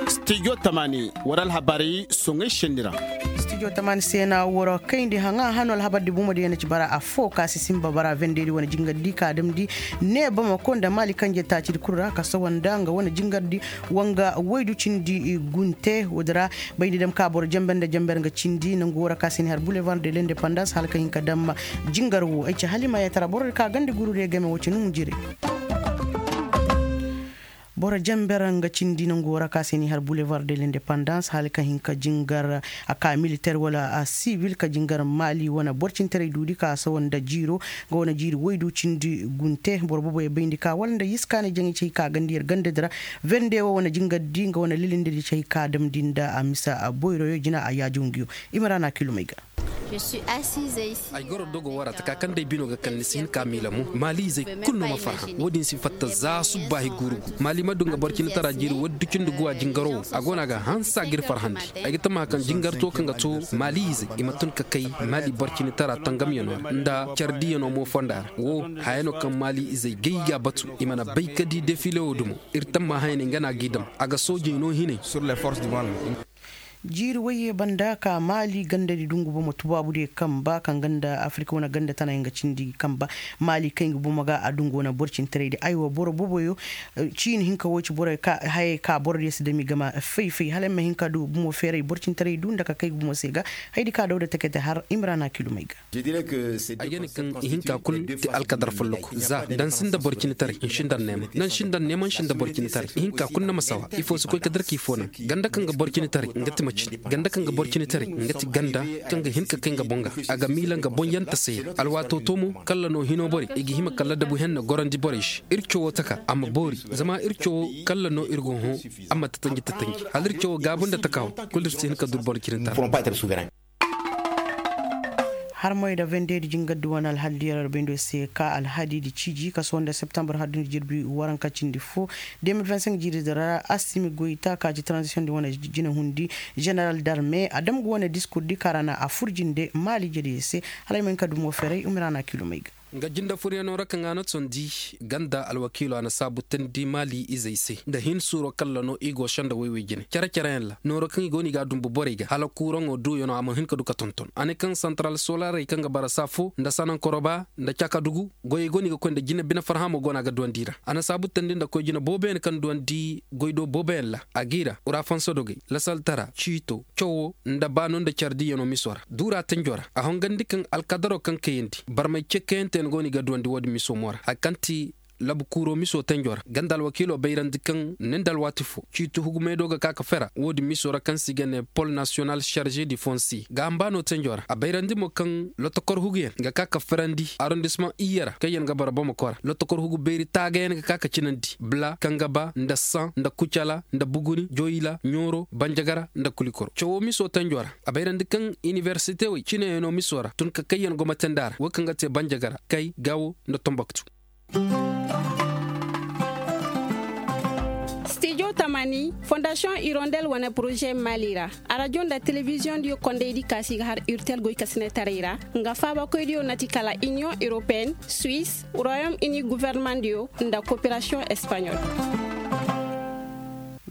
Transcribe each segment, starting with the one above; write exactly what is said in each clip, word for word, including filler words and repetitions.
Stijo tamani war alhabaray soŋay senni ra. Stijo tamani se na war kayndi haŋa hano alhabardi bomodiyo na ci bara affo ka si sinba bara vendedi wane jingardi ka damndi ne bamako nda maali kanje taacidi kul ra ka sawa nda nga wane jingardi wanga waydu cindi gunte woodi ra. Bayndi dam ka boro jember nda jember nga cindi nangu wo ra ka se ni har bulevar de lindependans hala ka hin ka dam jingar wo ay ci halima ya tara boro di ka gandi guru de game wo ci numu jire. Boro jember nga cindi nangu wo ra ka se ni har bulevar de lindependans hala ka hin ka jingar a ka militer wala a sivil ka jingar mali wane borcintaray duudi ka sawa nda jiiro nga wane jiiri waydu cindi gunte boro boboyo bayndi ka wala nda yiskaani jaŋay ci hay ka gandi yer gandadi ra. Vende wo wane jingar di nga wane lilindadi ci hay ka damndi nda a misa boyroyo jina a yaaji hunguyo. I ma ra na kilumay ga. Ay goro dogo wara taka kaŋ day bino ga kal ni si hin ka miila mo maali izey kulu no ma farhã. Wo-din si fatta za subbaahi guuru gu maali ma du nga borcinitara jiiri waddu cindi guwa jingaro wo a go no a ga hanse a g'ir farhandi. Ay ga tammaha kaŋ jingarto kaŋ ga to maali izey i ma tun ka kay maali borcinitara tangamyano ra nda care diiyano mo fonda ra. Wo haya no kaŋ maali izey gay g'a batu i mana bay ka di defile wo dumo. Ir tammaha i ne nga no a g'i dam a ga soojey no hinay. Jiiri woyye banda ka maali gandadi dungu bomo tubaabudiyo kamba kaŋ ganda afirika wane ganda tana yaŋ ga cindi kamba. Maali kay nga bomo ga a dungu wane borcintaraydi aywa boro boboyo. Ciini hinka wo ci borey ka hayey ka borodiyo si dami gama fay-fay hala ay ma hin ka du bomo feeray borcintaray du nda ka kay ga bomo se ga. Haydi ka dawda takete har imrana kilumey ga. Ay ga ne kaŋ ihinka kulu ti alkadar folloku za da ni sinda boro cine taray ni sinda neema da ni sinda neema ni sinda boro cine taray ihinka kulu na ma sawa ifo si koy ka dirka ifo naŋ. Ganda kaŋ ga boro cine taray nga ti macine ganda kaŋ ga boro cine taray nga ti ganda kaŋ ga hin ka kay nga boŋ ga. A ga miila nga boŋ yaŋ ta se ya alwaato to mo kalla no hino borey i ga hima kalla dabu henne gorandi borey se ir cawo taka a ma boori zama ir cawo kalla no ir go hõ. A ma tatanji tatanji hala ir cawo gaabu nda taka wo kulu ir si hin ka duru boro cine taray. Harmoy nda vendedi jingardi wane alhaddi yer bayndo se ka alhadidi ciiji kaso nda septembar haddu nda jirbi waranka cindi fo. De mil vingt cinq jiiridi ra assimi goyta ka ci transition di wane jinahundi general darme a dam ga wane diskurdi ka ra na a fur jinde maali jediyo se. Hala ay ma hin ka dumo feray umira na kilomey ga. Nga jinde furyanoo ra kaŋ a na tondi ganda alwakiilo a na saabu teendi maali izey se nda hin suuro kalla no i go senda woy-woy jine care-careyaŋ ra nooro kaŋ i go no i ga a dumbu borey ga hala kuuraŋo duuyanoo a ma hin ka du ka tonton a ne kaŋ santaral solarey kaŋ ga bara saa fo nda sanankoroba nda cakadugu goyey go no i ga koy nda jine bine farhamo go no a ga duwandi i ra a na saabu teendi nda koy jine booboyaŋ kaŋ duwandi goy do booboyaŋ ra a g'i ra urafansodogey lasaltara ciito cawo nda baano nda care diiyanoo miso ra duura tenjo ra a hongandi kaŋ alkadaro kaŋ kayandi barmay cekkayanteyaŋ go no i ga duwandi wo-din miso mo ra hari kaŋ ti labu kuuro miso tenjo ra ganda alwakiilo bayrandi kaŋ ne nda alwaati fo ciiti hugu meedo ga ka ka fera wo-din miso ra kaŋ se i ga ne pol nasiyonal sarze di fonse gaaham baano tenjo ra a bayrandi mo kaŋ lotokor huguyaŋ ga ka ka ferandi arondismaŋ iyye ra kaŋ yaŋ ga bara bamako ra lotokor hugu beeri taagayaŋ ga ka ka cinandi bla kaŋ ga ba nda saŋ nda kucala nda buguni joyila ɲooro banjagara nda kulikoro cawo miso tenjo ra a bayrandi kaŋ iniwersite wey cineyaŋo miso ra tun ka kayyaŋ gomante nda a ra wo kaŋ ga te banjagara kay gawo nda tomboktu stijo tamani fondasiyoŋ irondel wane poroze mali ra arajo nda telebiziyoŋ diyo kondaydi kaasi ga har urtel goy kasinetaray ra nga faabakoydiyo na ti kala iniyoŋ europeen suwis royom ini guvernemandiyo nda koperasiyoŋ espanyol.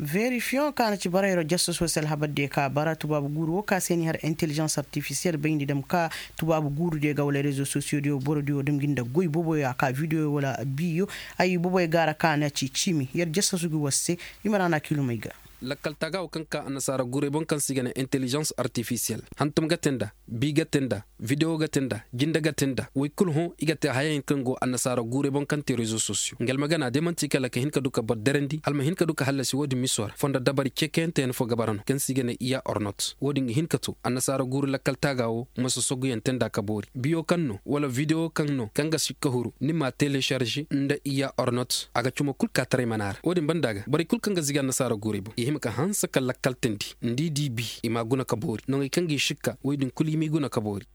Verifiyoŋ ka na ci barayro jasso sosel habardiyo ka bara tubaabu guuru wo ka se ni har intelijans artifisiyel bayndi dam ka tubaabu guurudiyo ga wala rezo sosiyodiyo borodiyo dam gi nda goy boboyo a ka bidiyo wala biyo ay boboyo gaara ka na ci cimi yer jasso sugi war se. I ma ra na kilumey ga. Lakkal taagaawo kaŋ ka annasaara guurey boŋ kaŋ se i ga ne intelijans artifisiyel hantum ga te nda bi ga te nda videwo ga te nda jinde ga te nda woy kulu hõ i ga te hayayaŋ kaŋ go annasaara guurey boŋ kaŋ te rezo sosiyo nga almagana day man'ti kala ka hin ka du ka boro derandi hala ma hin ka du ka hallasi wo-din miso ra fondo dabari ceekayanteyaŋ fo ga bara no kaŋ se i ga ne iya ornot wo-din ga hin ka to annasaara guuru lakkal taaga wo ma sosoguyaŋ te nd'a ka boori biyo kaŋ no wala videwo kaŋ no kaŋ ga sikka huru ni m'a telesarze nda iya ornot a ga cimo kulu ka taray mana ra wo-din banda ga borey kulu kaŋ ga zigi annasaara guurey boŋ i hima ka hanse ka lakkal teendi nda i di bi i m'a guna ka boori noŋey kaŋ g'i sikka wey din kulu i m'i guna ka boori.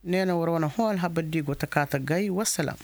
Ne no war wane hõ alhabardi go ta kaa ta gay wasalaam.